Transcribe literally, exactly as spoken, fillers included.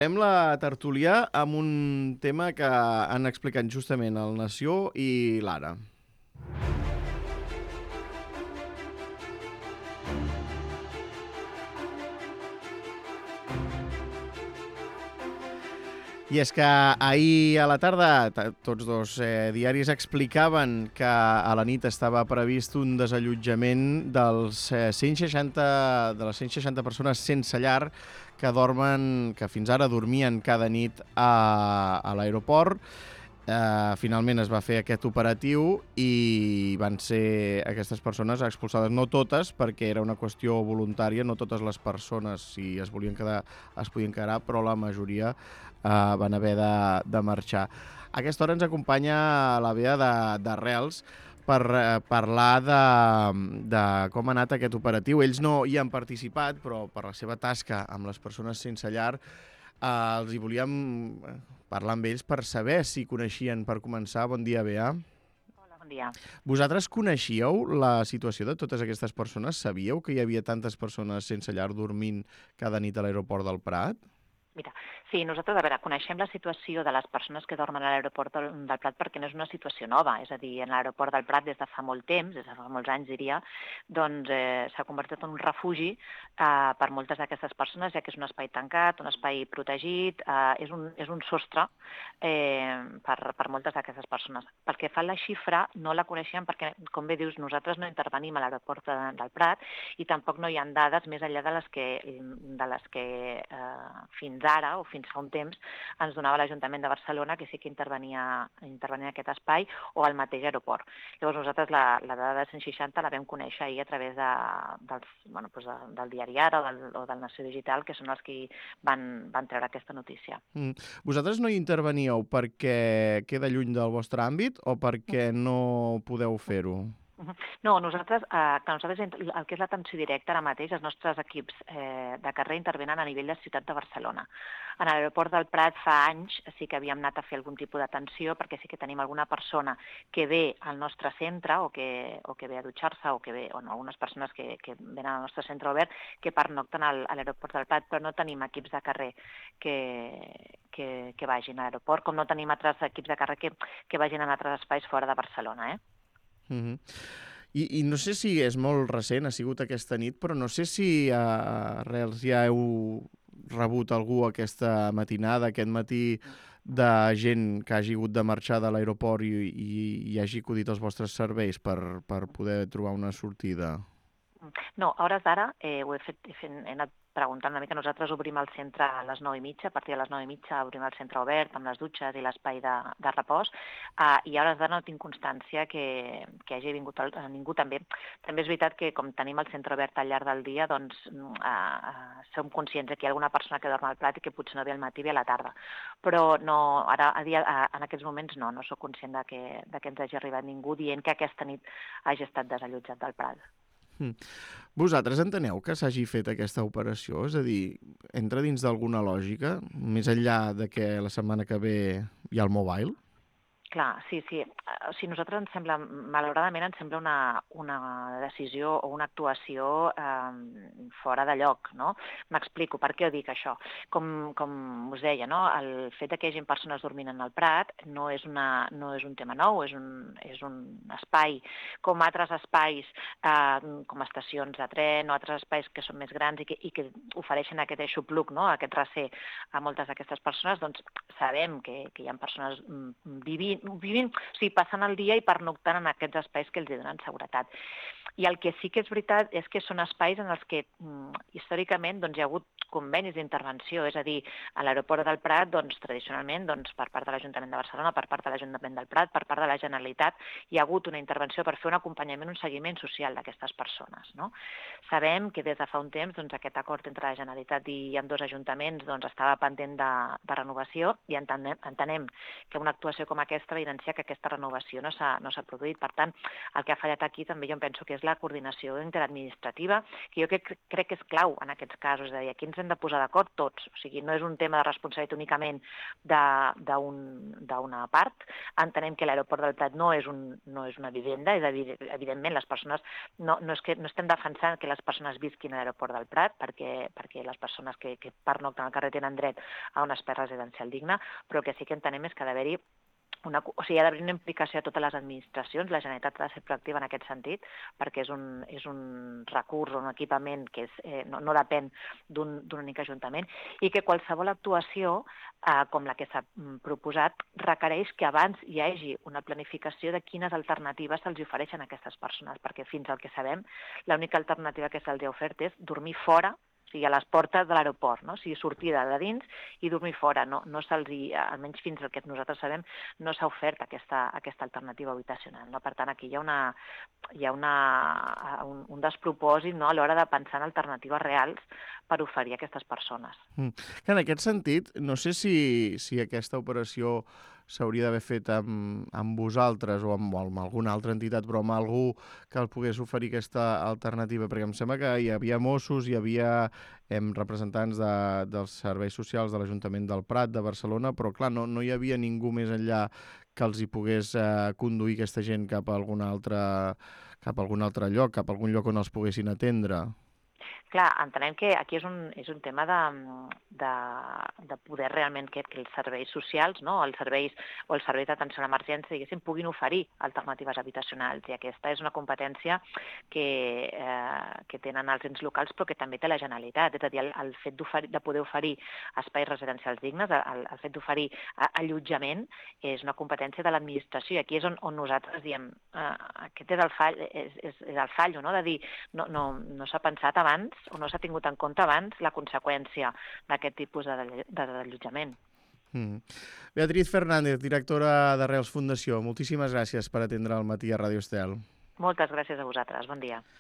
Fem la tertúlia amb un tema que han explicat justament el Nació i l'Ara. I és que ahir a la tarda tots dos eh, diaris explicaven que a la nit estava previst un desallotjament dels eh, cent seixanta, de les cent seixanta persones sense llar que dormen, que fins ara dormien cada nit a, a l'aeroport. Uh, finalment es va fer aquest operatiu i van ser aquestes persones expulsades, no totes, perquè era una qüestió voluntària, no totes les persones, si es volien quedar, es podien quedar, però la majoria uh, van haver de, de marxar. A aquesta hora ens acompanya la Bea d'Arrels per uh, parlar de, de com ha anat aquest operatiu. Ells no hi han participat, però per la seva tasca amb les persones sense llar Uh, els hi volíem parlar amb ells per saber si coneixien, per començar. Bon dia, Bea. Hola, bon dia. Vosaltres coneixíeu la situació de totes aquestes persones? Sabíeu que hi havia tantes persones sense llar dormint cada nit a l'aeroport del Prat? Mira, sí, nosaltres, a veure, coneixem la situació de les persones que dormen a l'aeroport del, del Prat perquè no és una situació nova, és a dir, en l'aeroport del Prat des de fa molt temps, des de fa molts anys diria, doncs eh, s'ha convertit en un refugi eh, per moltes d'aquestes persones, ja que és un espai tancat, un espai protegit, eh, és, un, és un sostre eh, per, per moltes d'aquestes persones. Pel que fa a la xifra, no la coneixem perquè, com bé dius, nosaltres no intervenim a l'aeroport de, del Prat i tampoc no hi ha dades més enllà de les que, de les que eh, fins ara, o fins fa un temps, ens donava l'Ajuntament de Barcelona, que sí que intervenia, intervenia en aquest espai, o al mateix aeroport. Llavors nosaltres la, la dada de cent seixanta la vam conèixer ahir a través de, dels, bueno, doncs de, del diari Ara o del, o del Nació Digital, que són els que van, van treure aquesta notícia. Mm. Vosaltres no hi interveníeu perquè queda lluny del vostre àmbit o perquè no podeu fer-ho? No, nosaltres, eh, que nosaltres el que és l'atenció directa ara mateix, els nostres equips eh, de carrer intervenen a nivell de ciutat de Barcelona. En l'aeroport del Prat fa anys sí que havíem anat a fer algun tipus d'atenció perquè sí que tenim alguna persona que ve al nostre centre o que, o que ve a dutxar-se o que ve, o no, algunes persones que, que venen al nostre centre obert que pernocten al, a l'aeroport del Prat, però no tenim equips de carrer que, que, que vagin a l'aeroport, com no tenim altres equips de carrer que, que vagin a altres espais fora de Barcelona, eh? Mm-hmm. I, I no sé si és molt recent, ha sigut aquesta nit, però no sé si a Reals ja heu rebut algú aquesta matinada, aquest matí, de gent que hagi hagut de marxar de l'aeroport i, i, i hagi acudit als vostres serveis per, per poder trobar una sortida? No, a hores d'ara eh, ho he fet, he, fet, he anat preguntant una mica. Nosaltres obrim el centre a les nou i mitja, a partir de les nou i mitja obrim el centre obert amb les dutxes i l'espai de, de repòs, uh, i a hores d'ara no tinc constància que, que hagi vingut el, ningú també. També és veritat que com tenim el centre obert al llarg del dia, doncs uh, uh, som conscients que hi ha alguna persona que dorm al Prat i que potser no ve al matí, ve a la tarda. Però no, ara, a dia, a, en aquests moments no, no sóc conscient de que, de que ens hagi arribat ningú dient que aquesta nit hagi estat desallotjat del Prat. Mm. Vosaltres enteneu que s'hagi fet aquesta operació? És a dir, entra dins d'alguna lògica, més enllà de que la setmana que ve hi ha el mobile? Clar, sí, sí. O sigui, nosaltres ens sembla, malauradament ens sembla una, una decisió o una actuació eh, fora de lloc, no? M'explico, per què ho dic això? Com, com us deia, no? El fet que hi hagi persones dormint en el Prat no és, una, no és un tema nou, és un, és un espai com altres espais, eh, com estacions de tren o altres espais que són més grans i que, i que ofereixen aquest aixopluc, no? Aquest recer a moltes d'aquestes persones, doncs sabem que, que hi ha persones vivint vivint, o sigui, passant el dia i pernoctant en aquests espais que els donen seguretat. I el que sí que és veritat és que són espais en els que mm, històricament doncs, hi ha hagut convenis d'intervenció, és a dir, a l'aeroport del Prat, doncs, tradicionalment, doncs, per part de l'Ajuntament de Barcelona, per part de l'Ajuntament del Prat, per part de la Generalitat, hi ha hagut una intervenció per fer un acompanyament, un seguiment social d'aquestes persones. No? Sabem que des de fa un temps doncs, aquest acord entre la Generalitat i amb dos ajuntaments doncs, estava pendent de, de renovació i entenem, entenem que una actuació com aquesta aquesta evidència que aquesta renovació no s'ha no s'ha produït. Per tant, el que ha fallat aquí també jo em penso que és la coordinació interadministrativa, que jo crec, crec que és clau en aquests casos, és a dir, aquí ens hem de posar d'acord tots, o sigui, no és un tema de responsabilitat únicament d'una part. Entenem que l'aeroport del Prat no és, un, no és una vivenda, és a dir, evidentment les persones, no, no, és que, no estem defensant que les persones visquin a l'aeroport del Prat, perquè, perquè les persones que, que pernocten al carrer tenen dret a un espai residencial digne, però el que sí que entenem és que ha d'haver-hi Una, o sigui, hi ha d'haver una implicació a totes les administracions, la Generalitat ha de ser proactiva en aquest sentit, perquè és un, és un recurs o un equipament que és, eh, no, no depèn d'un únic ajuntament, i que qualsevol actuació, eh, com la que s'ha proposat, requereix que abans hi hagi una planificació de quines alternatives se'ls ofereixen a aquestes persones, perquè fins al que sabem, l'única alternativa que se'ls ha ofert és dormir fora, o sigui, a les portes de l'aeroport, no? O sigui, sortida de dins i dormir fora. No, no se'ls, almenys fins al que nosaltres sabem, no s'ha ofert aquesta, aquesta alternativa habitacional. No? Per tant, aquí hi ha, una, hi ha una, un, un despropòsit, no? A l'hora de pensar en alternatives reals per oferir a aquestes persones. Mm. En aquest sentit, no sé si, si aquesta operació s'hauria d'haver fet amb, amb vosaltres o amb, o amb alguna altra entitat, però amb algú que el pogués oferir aquesta alternativa, perquè em sembla que hi havia Mossos, hi havia em, representants de, dels serveis socials de l'Ajuntament del Prat, de Barcelona, però clar, no, no hi havia ningú més enllà que els hi pogués eh, conduir aquesta gent cap a algun altre, cap a algun altre lloc, cap a algun lloc on els poguessin atendre. Clar, entenem que aquí és un, és un tema de, de, de poder realment que, que els serveis socials, no? els serveis o els serveis d'atenció a l'emergència, diguéssim, puguin oferir alternatives habitacionals. I aquesta és una competència que, eh, que tenen els ens locals, però que també té la Generalitat. És a dir, el, el fet de poder oferir espais residencials dignes, el, el fet d'oferir allotjament, és una competència de l'administració. I aquí és on, on nosaltres diem, eh, aquest és el fall, és, és, és el fallo, no? De dir, no, no, no s'ha pensat abans o no s'ha tingut en compte abans la conseqüència d'aquest tipus de desallotjament. Mm. Beatriz Fernández, directora d'Arrels Fundació, moltíssimes gràcies per atendre el matí a Ràdio Estel. Moltes gràcies a vosaltres. Bon dia.